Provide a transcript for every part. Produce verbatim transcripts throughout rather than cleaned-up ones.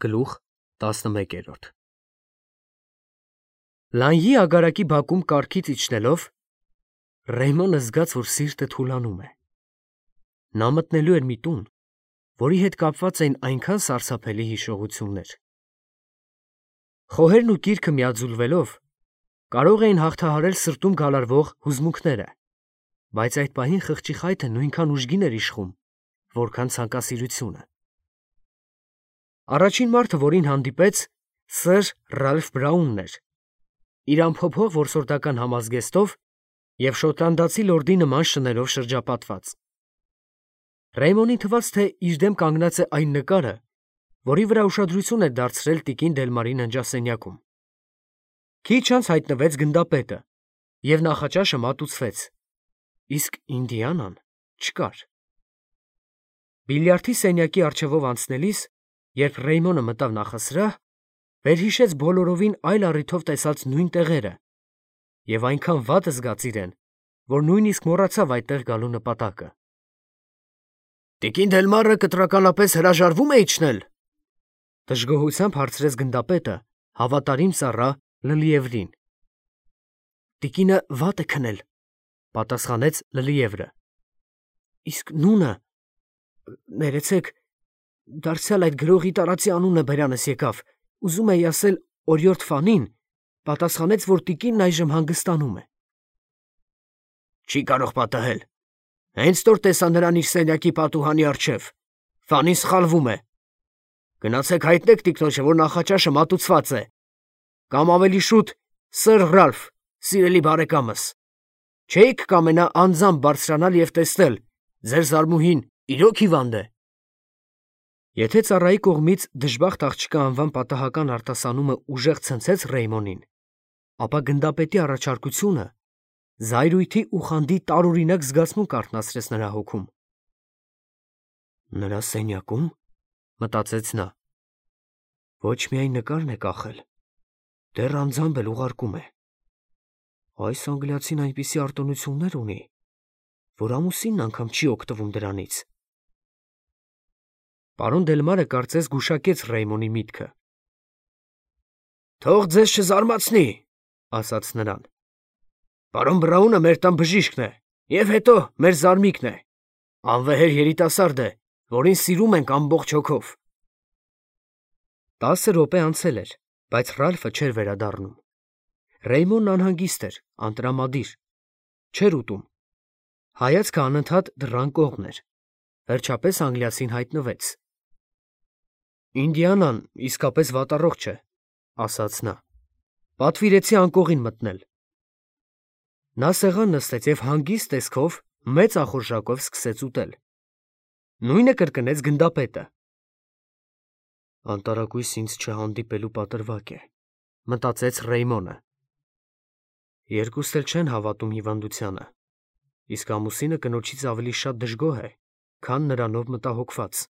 Գլուխ տասնմեկերորդ Լանյի ագարակի բակում կառքից իջնելով, Ռեյմոնը զգաց, որ սիրտը թուլանում է։ Նա մտնելու էր մի տուն, որի հետ կապված էին այնքան սարսափելի հիշողություններ։ Խոհերն ու կիրքը միաձուլվելով կարող էին հաղթահարել սրտում գալարվող հուզմունքները, բայց այդ պահին խղճի խայթը նույնքան ուժգին էր իշխում, որքան ցանկասիրությունը։ Առաջին մարդը, որին հանդիպեց, սըր Ռալֆ Բրաունն էր, իր ամփոփող որսորդական համազգեստով և շոտլանդացի լորդի նման շներով շրջապատված։ Ռեյմոնին թվաց, թե իր դեմ կանգնած է այն նկարը, որի վրա ուշադրություն էր դարձրել տիկին Դելմարի ննջասենյակում։ Քիչ անց հայտնվեց գնդապետը, և նախաճաշը մատուցվեց, իսկ Ինդիանան չկար։ Բիլիարդի սենյակի առջևով անցնելիս, երբ Ռեյմոնը մտավ նախասրահ, վերհիշեց բոլորովին այլ առիթով տեսած նույն տեղերը և այնքան վատ զգաց իրեն, որ նույնիսկ մոռացավ այդտեղ գալու նպատակը։ «Տիկին Դելմարը կտրականապես հրաժարվո՞ւմ է իջնել», դժգոհությամբ հարցրեց գնդապետը հավատարիմ ծառա Լլիևրին։ «Տիկինը վատ է քնել», պատասխանեց Լլիևրը։ «Իսկ նունը, ներեցեք, դարձյալ այդ գրողի տարածի անունը բերանս եկավ, ուզում էի ասել օրիորդ Ֆանին, պատասխանեց, որ տիկինն այժմ հանգստանում է»։ «Չի կարող պատահել, հենց որ տեսա նրան իր սենյակի պատուհանի առջև, Ֆանին սխալվում է։ Գնացեք հայտնեք տիկնոջը, որ նախաճաշը մատուցված է, կամ ավելի շուտ սըր Ռալֆ, սիրելի բարեկամս, չէի՞ք կամենա անձամբ բարձրանալ և տեսնել, ձեր զարմուհին իրոք հիվանդ է»։ Եթե ծառայի կողմից դժբախտ աղջկա անվան պատահական արտասանումը ուժեղ ցնցեց Ռեյմոնին, ապա գնդապետի առաջարկությունը զայրույթի ու խանդի տարօրինակ զգացմունք արթնացրեց նրա հոգում։ «Նրա սենյակում, ֊ մտածեց նա, ֊ ոչ միայն նկարն է կախել, դեռ անձամբ էլ ուղարկում է։ Այս անգլիացին այնպիսի արտոնություններ ունի, որ ամուսինն անգամ չի օգտվում դրանից»։ Պարոն Դելմարը կարծես գուշակեց Ռեյմոնի միտքը։ «Թող ձեզ չզարմացնի, ֊ ասաց նրան, ֊ պարոն Բրաունը մեր տան բժիշկն է և հետո մեր զարմիկն է, անվեհեր երիտասարդ է, որին սիրում ենք ամբողջ հոգով»։ Տասը րոպե անցել էր, բայց Ռալֆը չէր վերադառնում։ Ռեյմոնն անհանգիստ էր, անտրամադիր, չէր ուտում։ Հայացքը անընդհատ դռան կողմն էր։ Վերջապես անգլիացին հայտնվեց։ «Ինդիանան իսկապես վատառողջ է», ֊ ասաց նա։ «Պատվիրեցի անկողին մտնել»։ Նա սեղան նստեց և հանգիստ տեսքով մեծ ախորժակով սկսեց ուտել։ Նույնը կրկնեց գնդապետը։ «Անտարակույս ինձ չհանդիպելու պատրվակ է», ֊ մտածեց Ռեյմոնը։ Երկուստ էլ չեն հավատում հիվանդությանը, իսկ ամուսինը կնոջից ավելի շատ դժգոհ է, քան նրանով մտահոգված։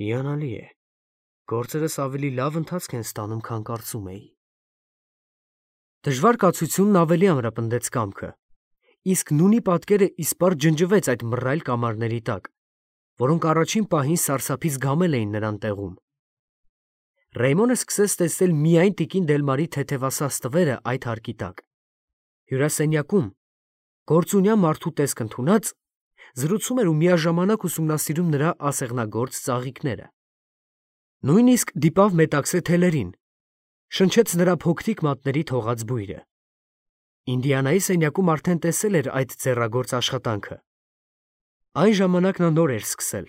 Հիանալի է, գործերս ավելի լավ ընթացք են ստանում, քան կարծում էի։ Դժվար կացությունն ավելի ամրապնդեց կամքը, իսկ նունի պատկերը իսպառ ջնջվեց այդ մռայլ կամարների տակ, որոնք առաջին պահին սարսափից գամել էին նրան տեղում։ Ռեյմոնը սկսեց տեսնել միայն տիկին Դելմարի թեթևասաս տվերը այդ հարկի տակ։ Հյուրասենյակում, գործունյա մարդու տեսք ընդունած, զրուցում էր ու միաժամանակ ուսումնասիրում նրա ասեղնագործ ծաղիկները։ Նույնիսկ դիպավ մետաքսե թելերին, շնչեց նրա փոքրիկ մատների թողած բույրը։ Ինդիանայի սենյակում արդեն տեսել էր այդ ձեռագործ աշխատանքը։ Այն ժամանակ նա նոր էր սկսել,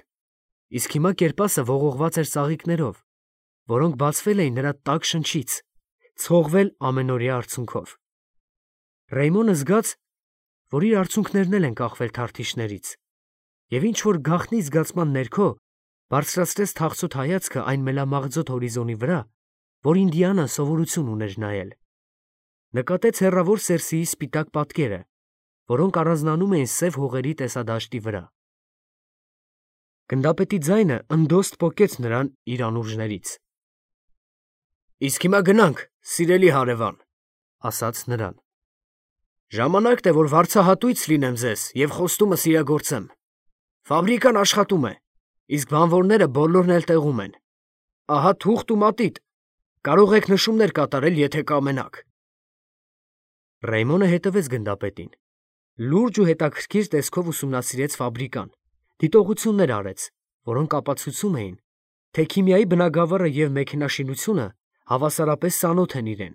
իսկ հիմա կերպասը ողողված էր ծաղիկներով, որոնք բացվել էին նրա տաք շնչից, ցողվել ամենօրյա արցունքով։ Ռեյմոնը զգաց, որ իր արցունքներն էլ են կախվել թարթիչներից, և ինչ-որ գաղտնի զգացման ներքո բարձրացրեց թախծոտ հայացքը այն մելամաղձոտ հորիզոնի վրա, որ Ինդիանան սովորություն ուներ նայել։ Նկատեց հեռավոր Սերսիի սպիտակ պատկերը, որոնք առանձնանում էին սև հողերի տեսադաշտի վրա։ Գնդապետի ձայնը ընդոստ պոկեց նրան իր անուրջներից։ «Իսկ հիմա գնանք, սիրելի հարևան, ֊ ասաց նրան. ֊ ժամանակն է, որ վարձահատույց լինեմ ձեզ և խոստումս իրագործեմ։ Ֆաբրիկան աշխատում է, իսկ բանվորները բոլորն էլ տեղում են։ ահա թուղթ ու մատիտ, կարող եք նշումներ կատարել, եթե կամենաք։ Ռեյմոնը հետևեց գնդապետին, լուրջ ու հետաքրքիր տեսքով ուսումնասիրեց ֆաբրիկան, դիտողություններ արեց, որոնք ապացուցում էին, թե քիմիայի բնագավառը և մեքենաշինությունը հավասարապես ծանոթ են իրեն։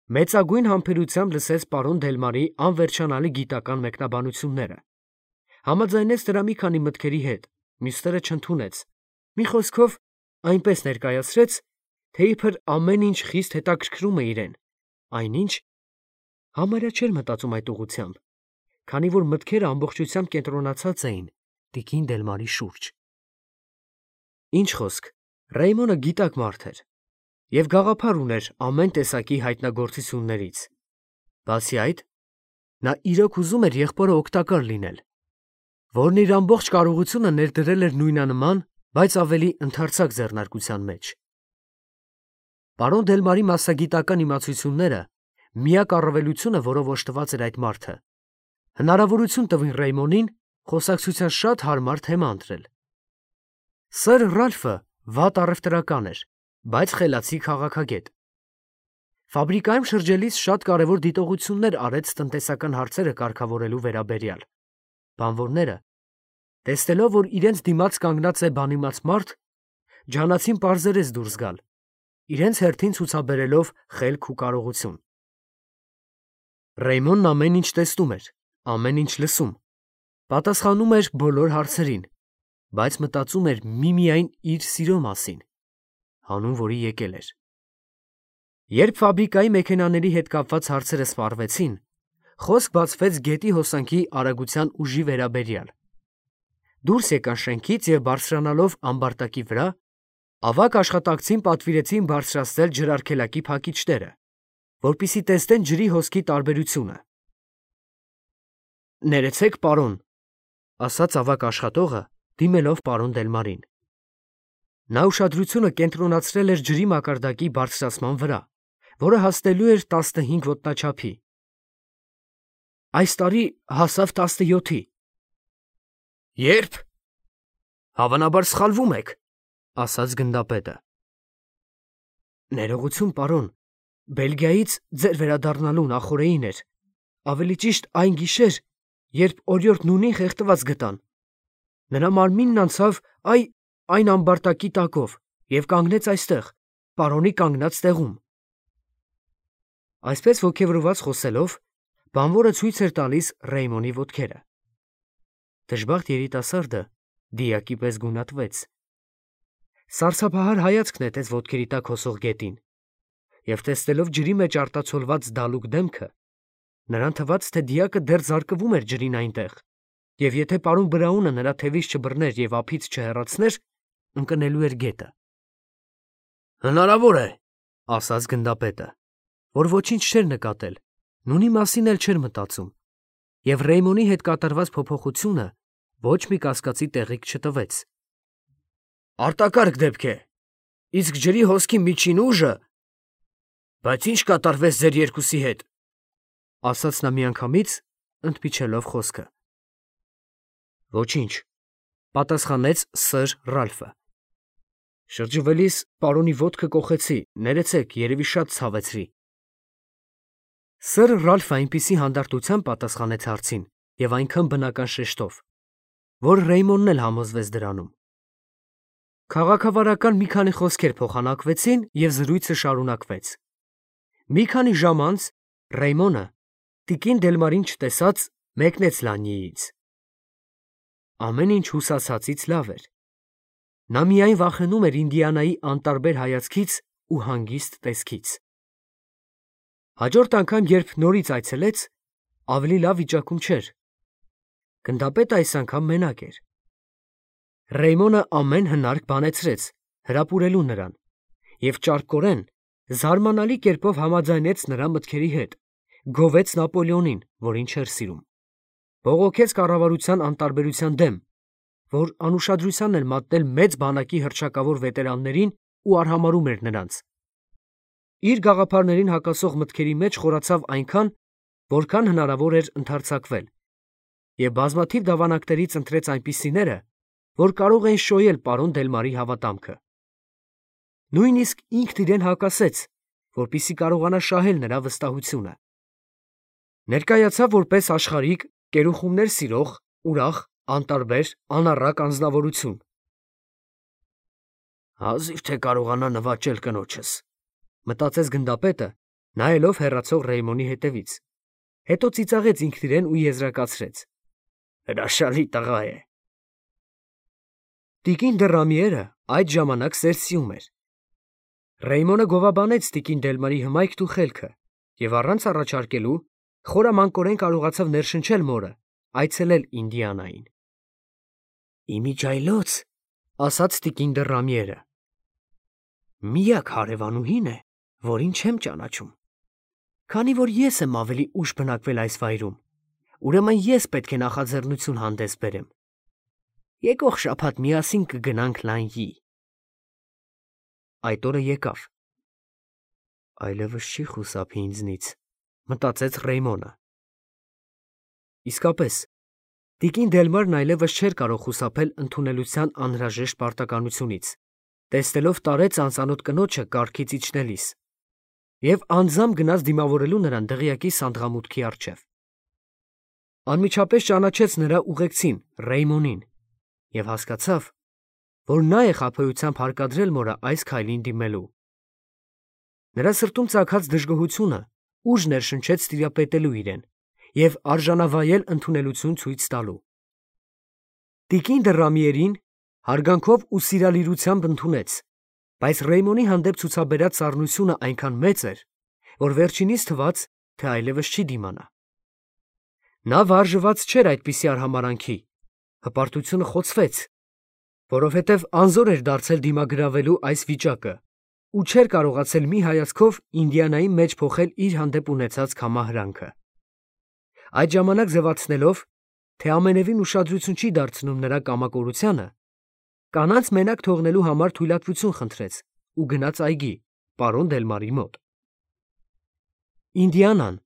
Մեծագույն համբերությամբ լսեց պարոն Դելմարի անվերջանալի գիտական մեկնաբանությունները, համաձայնեց նրա մի քանի մտքերի հետ, մյուսները չընդունեց, մի խոսքով այնպես ներկայացրեց, թե իբր ամեն ինչ խիստ հետաքրքրում է իրեն, այնինչ համարյա չէր մտածում այդ ուղղությամբ, քանի որ մտքերը ամբողջությամբ կենտրոնացած էին տիկին Դելմարի շուրջ։ Ինչ խոսք, Ռեյմոնը գիտակ մարդ էր և գաղափար ուներ ամեն տեսակի հայտնագործություններից։ Բացի այդ, նա իրոք ուզում էր եղբորը օգտակար լինել, որն իր ամբողջ կարողությունը ներդրել էր նույնանման, բայց ավելի ընդարձակ ձեռնարկության մեջ։ Պարոն Դելմարի մասնագիտական իմացությունները միակ առավելությունը, որով օժտված էր այդ մարդը, հնարավորություն տվին Ռեյմոնին խոսակցության շատ հարմար թեմա ընտրել։ Սըր Ռալֆը վատ առևտրական էր, բայց խելացի քաղաքագետ։ Ֆաբրիկայում շրջելիս շատ կարևոր դիտողություններ արեց տնտեսական հարցերը կարգավորելու վերաբերյալ։ Բանվորները, տեսնելով, որ իրենց դիմաց կանգնած է բանիմաց մարդ, ջանացին պարզերես դուրս գալ, իրենց հերթին ցուցաբերելով խելք ու կարողություն։ Ռեյմոնն ամեն ինչ տեսնում էր, ամեն ինչ լսում, պատասխանում էր բոլոր հարցերին, բայց մտածում էր միմիայն իր սիրո մասին, հանուն որի եկել էր։ Երբ ֆաբրիկայի մեքենաների հետ կապված հարցերը սպառվեցին, խոսք բացվեց գետի հոսանքի արագության ուժի վերաբերյալ։ Դուրս եկան շենքից և բարձրանալով ամբարտակի վրա, ավագ աշխատակցին պատվիրեցին բարձրացնել ջրարգելակի փակիչները, որպեսզի տեսնեն ջրի հոսքի տարբերությունը։ «Ներեցեք, պարոն», ասաց ավագ աշխատողը, դիմելով պարոն Դելմարին։ Նա ուշադրությունը կենտրոնացրել էր ջրի մակարդակի բարձրացման վրա, որը հասնելու էր տասնհինգ ոտնաչափի։ Այս տարի հասավ տասնյոթի։ Ե՞րբ։ Հավանաբար սխալվում եք, ասաց գնդապետը։ Ներողություն, պարոն, Բելգիայից ձեր վերադառնալու նախօրեին էր, ավելի ճիշտ այն գիշեր, երբ օրիորդ Նունին խեղդված գտան։ Նրա մարմինն անցավ այ այն ամբարտակի տակով և կանգնեց այստեղ, պարոնի կանգնած տեղում։ Այսպես ոգևորված խոսելով, բանվորը ցույց էր տալիս Ռեյմոնի ոտքերը։ Դժբախտ երիտասարդը դիակի պես գունատվեց։ Սարսափահար հայացք նետեց ոտքերի տակ հոսող գետին, և տեսնելով ջրի մեջ արտացոլված դալուկ դեմքը, նրան թվաց, թե դիակը դեռ զարկվում էր ջրին այնտեղ, և եթե պարոն Բրաունը նրա թևից չբռներ և ափից չհեռացներ, ընկնելու էր գետը։ Հնարավոր է, ասաց գնդապետը, որ ոչինչ չէր նկատել, Նունի մասին էլ չէր մտածում, և Ռեյմոնի հետ կատարված փոփոխությունը ոչ մի կասկածի տեղիք չտվեց։ Արտակարգ դեպք է, իսկ ջրի հոսքի միջին ուժը… Բայց ինչ կատարվեց ձեր երկուսի հետ, ասաց նա միանգամից, ընդմիջելով խոսքը։ Ոչինչ, պատասխանեց սըր Ռալֆը։ Շրջվելիս պարոնի ոտքը կոխեցի, ներեցեք, երևի շատ ցավեցրի։ Սըր Ռալֆը այնպիսի հանդարտությամբ պատասխանեց հարցին և այնքան բնական շեշտով, որ Ռեյմոնն էլ համոզվեց դրանում։ Քաղաքավարական մի քանի խոսքեր փոխանակվեցին և զրույցը շարունակվեց։ Մի քանի ժամ անց Ռեյմոնը, տիկին Դելմարին չտեսած, մեկնեց Լանյիից։ Ամեն ինչ հուսացածից լավ էր։ Նա միայն վախենում էր Ինդիանայի անտարբեր հայացքից ու հանգիստ տեսքից։ Հաջորդ անգամ, երբ նորից այցելեց, ավելի լավ վիճակում չէր։ Գնդապետը այս անգամ մենակ էր։ Ռեյմոնը ամեն հնարք բանեցրեց հրապուրելու նրան և ճարպկորեն, զարմանալի կերպով համաձայնեց նրա մտքերի հետ, գովեց Նապոլեոնին, որին չէր սիրում, բողոքեց կառավարության անտարբերության դեմ, որ անուշադրության էր մատնել մեծ բանակի հռչակավոր վետերաններին ու արհամարհում էր նրանց։ Իր գաղափարներին հակասող մտքերի մեջ խորացավ այնքան, որքան հնարավոր էր ընդարձակվել, և բազմաթիվ դավանանքներից ընտրեց այնպիսիները, որ կարող էին շոյել պարոն Դելմարի հավատամքը։ Նույնիսկ ինքն իրեն հակասեց, որպեսզի կարողանա շահել նրա վստահությունը։ Ներկայացավ որպես աշխարհիկ, կերուխումներ սիրող, ուրախ, անտարբեր, անառակ անձնավորություն։ Հազիվ թե կարողանա նվաճել կնոջս, մտածեց գնդապետը, նայելով հեռացող Ռեյմոնի հետևից։ Հետո ծիծաղեց ինքն իրեն ու եզրակացրեց. հրաշալի տղա է։ Տիկին դը Ռամիերը այդ ժամանակ սերսիում էր։ Ռեյմոնը գովաբանեց տիկին Դելմարի հմայքն ու խելքը և առանց առաջարկելու խորամանկորեն կարողացավ ներշնչել մորը, այցելել Ինդիանային։ Իմիջայլոց, ասաց տիկին դը Ռամիերը, միակ հարևանուհին է, որին չեմ ճանաչում։ Քանի որ ես եմ ավելի ուշ բնակվել այս վայրում, ուրեմն ես պետք է նախաձեռնություն հանդես բերեմ։ Եկող շաբաթ միասին կգնանք Լանյի։ Այդ օրը եկավ։ Այլևս չի խուսափի ինձնից, մտածեց Ռեյմոնը։ Իսկապես, տիկին Դելմարն այլևս չէր կարող խուսափել ընդունելության անհրաժեշտ պարտականությունից, տեսնելով տարեց անծանոթ կնոջը կառքից իջնելիս, և անձամբ գնաց դիմավորելու նրան դղյակի սանդղամուտքի առջև։ Անմիջապես ճանաչեց նրա ուղեկցին Ռեյմոնին և հասկացավ, որ նա է խաբեությամբ հարկադրել մորը այս քայլին դիմելու։ Նրա սրտում ծագած դժգոհությունը ուժ ներշնչեց տիրապետելու իրեն և արժանավայել ընդունելություն ցույց տալու։ Տիկին դը Ռամիերին հարգանքով ու սիրալիրությամբ ընդունեց, բայց Ռեյմոնի հանդեպ ցուցաբերած սառնությունը այնքան մեծ էր, որ վերջինիս թվաց, թե այլևս չի դիմանա։ Նա վարժված չէր այդպիսի արհամարհանքի, հպարտությունը խոցվեց, որովհետև անզոր էր դարձել դիմագրավելու այս վիճակը ու չէր կարողացել մի հայացքով Ինդիանայի մեջ փոխել իր հանդեպ ունեցած կամահրանքը։ Այդ ժամանակ ձևացնելով, թե ամենևին ուշադրություն չի դարձնում նրա կամակորությանը, կանանց մենակ թողնելու համար թույլատվություն խնդրեց ու գնաց այգի, պարոն Դելմարի մոտ։ Ինդիանան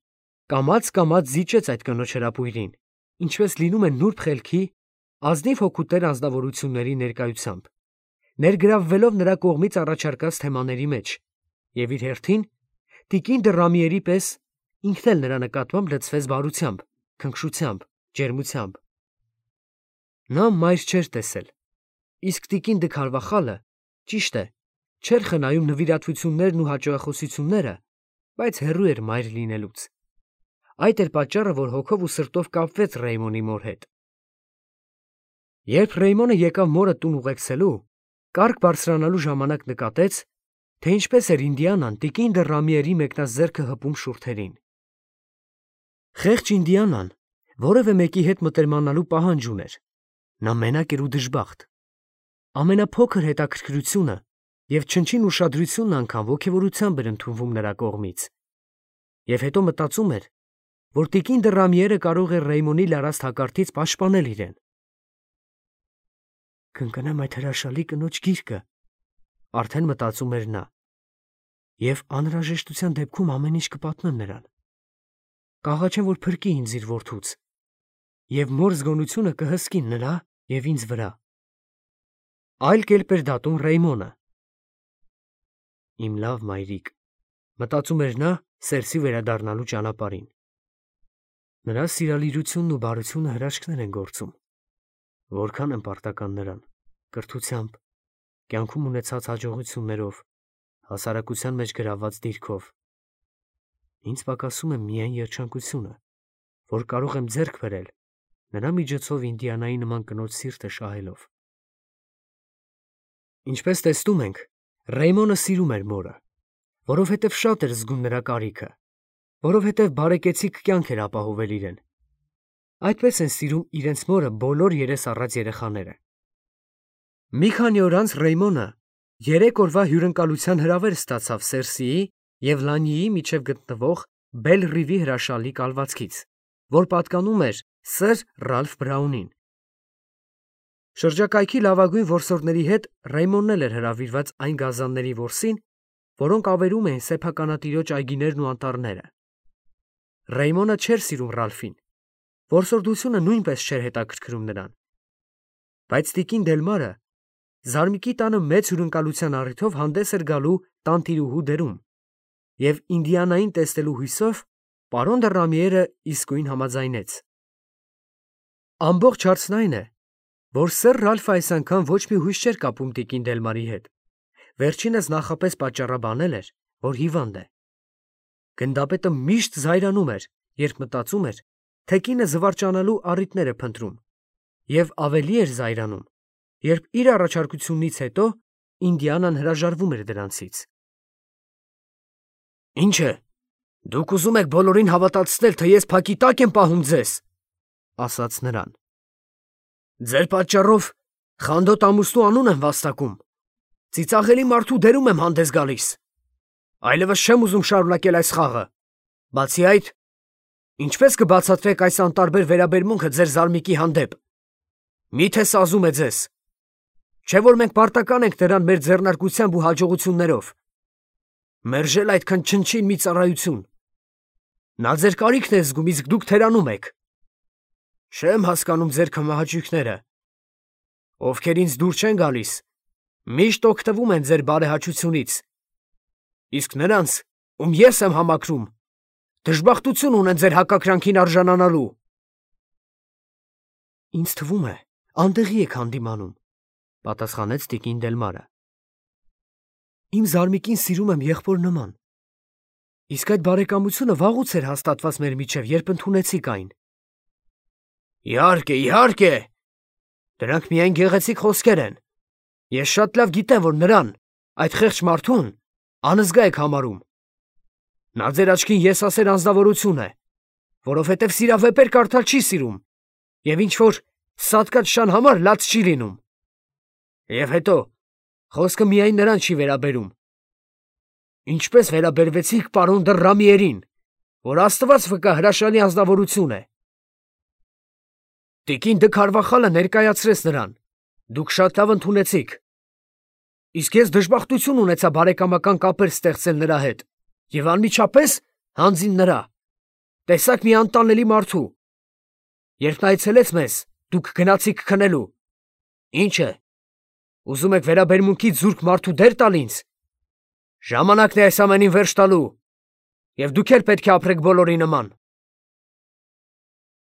կամաց-կամաց զիջեց այդ կնոջ հրապույրին, ինչպես լինում է նուրբ խելքի, ազնիվ հոգուտեր անձնավորությունների ներկայությամբ, ներգրավվելով նրա կողմից առաջարկած թեմաների մեջ, և իր հերթին, տիկին դը Ռամիերի պես, ինքն էլ նրա նկատմամբ լցվեց բարությամբ, քնքշությամբ, ջերմությամբ։ Նա մայր չէր տեսել, իսկ տիկին դը Քարվախալը, ճիշտ է, չէր խնայում նվիրատվություններն ու հաճոյախոսությունները, բայց հեռու էր մայր լինելուց։ Այդ էր պատճառը, որ հոգով ու սրտով կապվեց Ռեյմոնի մոր հետ։ Երբ Ռեյմոնը եկավ մորը տուն ուղեկցելու, կառք բարձրանալու ժամանակ նկատեց, թե ինչպես էր Ինդիանան տիկին դը Ռամիերի մեկնած ձեռքը հպում շուրթերին։ Խեղճ Ինդիանան որևէ մեկի հետ մտերմանալու պահանջ ուներ։ Նա մենակ էր ու դժբախտ։ Ամենափոքր հետաքրքրությունը և չնչին ուշադրությունն անգամ ոգևորությամբ էր ընդունվում նրա կողմից։ Եվ հետո մտածում էր, որ տիկին դը Ռամիերը կարող է Ռեյմոնի լարաստ հակարդից պաշտպանել իրեն։ Կընկնեմ այդ հրաշալի կնոջ գիրկը, արդեն մտածում էր նա, և անհրաժեշտության դեպքում ամեն ինչ կպատմեմ նրան։ Կաղաչեմ, որ փրկի ինձ իր որդուց, և մոր զգոնությունը կհսկի նրա և ինձ վրա։ Այլ կերպ էր դատում Ռեյմոնը։ Իմ լավ մայրիկ, մտածում էր նա սերսի վերադառնալու ճանապարհին։ Նրա սիրալիրությունն ու բարությունը հրաշքներ են գործում։ Որքան եմ պարտական նրան, կրթությամբ, կյանքում ունեցած հաջողություններով, հասարակության մեջ գրաված դիրքով։ Ինձ պակասում է միայն երջանկությունը, որ կարող եմ ձեռք բերել նրա միջոցով Ինդիանայի նման կնոջ սիրտը շահելով։ Ինչպես տեսնում ենք, Ռեյմոնը սիրում էր մորը, որովհետև շատ էր զգում նրա կարիքը, որովհետև բարեկեցիկ կյանք էր ապահովել իրեն։ Այդպես են սիրում իրենց մորը բոլոր երես առած երեխաները։ Մի քանի օր անց Ռեյմոնը երեք օրվա հյուրընկալության հրավեր ստացավ Սերսիի և Լանյիի միջև գտնվող Բել-Ռիվի հրաշալի կալվածքից, որ պատկանում էր սըր Ռալֆ Բրաունին։ Շրջակայքի լավագույն որսորդների հետ Ռեյմոնն էլ էր հրավիրված այն գազանների որսին, որոնք ավերում էին սեփականատիրոջ այգիներն ու անտառները։ Ռեյմոնը չէր սիրում Ռալֆին, որսորդությունը նույնպես չէր հետաքրքրում նրան։ Բայց տիկին Դելմարը Զարմիկի տանը մեծ հյուրընկալության առիթով հանդես էր գալու տանտիրուհու դերում, և Ինդիանային տեսնելու հույսով պարոն դը Ռամիերը իսկույն համաձայնեց։ Ամբողջ հարցն այն է, որ սեր Ռալֆը այս անգամ ոչ մի հույս չէր կապում տիկին Դելմարի հետ, վերջինս նախապես պատճառաբանել էր, որ հիվանդ է։ Գնդապետը միշտ զայրանում էր, երբ մտածում էր, թե կինը զվարճանալու առիթներ է փնտրում, և ավելի էր զայրանում, երբ իր առաջարկությունից հետո Ինդիանան հրաժարվում էր դրանցից։ Ինչ է, դուք ուզում եք բոլորին հավատացնել, թե ես փակի տակ եմ պահում ձեզ, ասաց նրան։ Ձեր պատճառով խանդոտ ամուսնու անուն եմ վաստակում, ծիծաղելի մարդու դերում եմ հանդես գալիս, այլևս չեմ ուզում շարունակել այս խաղը, բացի այդ, ինչպես կբացատրեք այս անտարբեր վերաբերմունքը ձեր զարմիկի հանդեպ, միթե սազում է ձեզ, չէ որ մենք պարտական ենք նրան մեր ձեռնարկությամբ ու հաջողություններով, մերժել այդքան չնչին մի ծառայություն, նա ձեր կարիքն է զգում, իսկ դուք թերանում եք, չեմ հասկանում ձեր քմահաճույքները, ովքեր ինձ դուր չեն գալիս, միշտ օգտվում են ձեր բարեհաճությունից, իսկ նրանց, ում ես եմ համակրում, դժբախտություն ունեն ձեր հակակրանքին արժանանալու։ Ինձ թվում է, անդեղի եք հանդիմանում, պատասխանեց տիկին Դելմարը։ Իմ զարմիկին սիրում եմ եղբոր նման, իսկ այդ բարեկամությունը վաղուց էր հաստատված մեր միջև, երբ ընդունեցիք այն։ Իհարկե, իհարկե, դրանք միայն գեղեցիկ խոսքեր են, ես շատ լավ գիտեմ, որ նրան, այդ խեղճ մարդուն, անզգա եք համարում։ Նա ձեր աչքին եսասեր անձնավորություն է, որովհետև սիրավեպեր կարդալ չի սիրում, և ինչ-որ սատկած շան համար լաց չի լինում։ Եվ հետո, խոսքը միայն նրան չի վերաբերում։ Ինչպես վերաբերվեցիք պարոն դը Ռամիերին, որ Աստված վկա հրաշալի անձնավորություն է։ Տիկին դը Քարվախալը ներկայացրեց նրան, դուք շատ լավ ընդունեցիք, իսկ ես դժբախտություն ունեցա բարեկամական կապեր ստեղծել նրա հետ, և անմիջապես հանձին նրա, տեսակ մի անտանելի մարդու, երբ նա այցելեց մեզ, դուք գնացիք քնելու, ինչ է, ուզում եք վերաբերմունքից զուրկ մարդու դեր տալ ինձ, ժամանակն է այս ամենին վերջ տալու, և դուք էլ պետք է ապրեք բոլորի նման։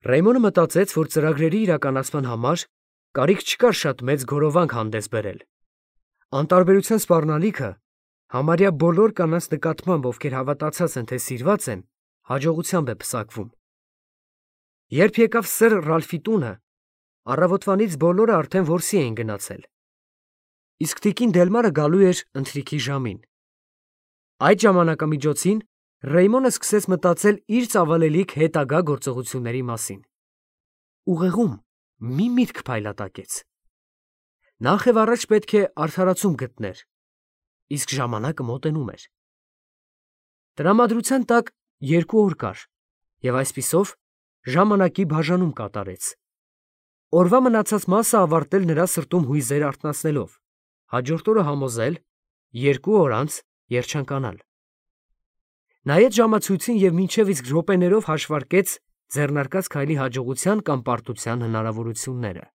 Ռեյմոնը մտածեց, որ ծրագրերի իրականացման համար կարիք չկար շատ մեծ գորովանք հանդես բերել։ Անտարբերության սպառնալիքը համարյա բոլոր կանանց նկատմամբ, ովքեր հավատացած են, թե սիրված են, հաջողությամբ է պսակվում։ Երբ եկավ սեր Ռալֆի տունը, առավոտվանից բոլորը արդեն որսի էին գնացել։ Իսկ տիկին Դելմարը գալու էր ընթրիքի ժամին։ Այդ ժամանակամիջոցին Ռեյմոնը սկսեց մտածել իր ծավալելիք հետագա գործողությունների մասին։ Ուղեղում մի միտք փայլատակեց։ Նախ և առաջ պետք է արդարացում գտներ, իսկ ժամանակը մոտենում էր։ Տրամադրության տակ երկու օր կար, և այսպիսով ժամանակի բաժանում կատարեց։ Օրվա մնացած մասը ավարտել նրա սրտում հույզեր արթնացնելով, հաջորդ օրը համոզել, երկու օր անց երջանկանալ։ Նայեց ժամացույցին և մինչև իսկ րոպեներով հաշվարկեց ձեռնարկած քայլի հաջողության կամ պարտության հնարավորությունները։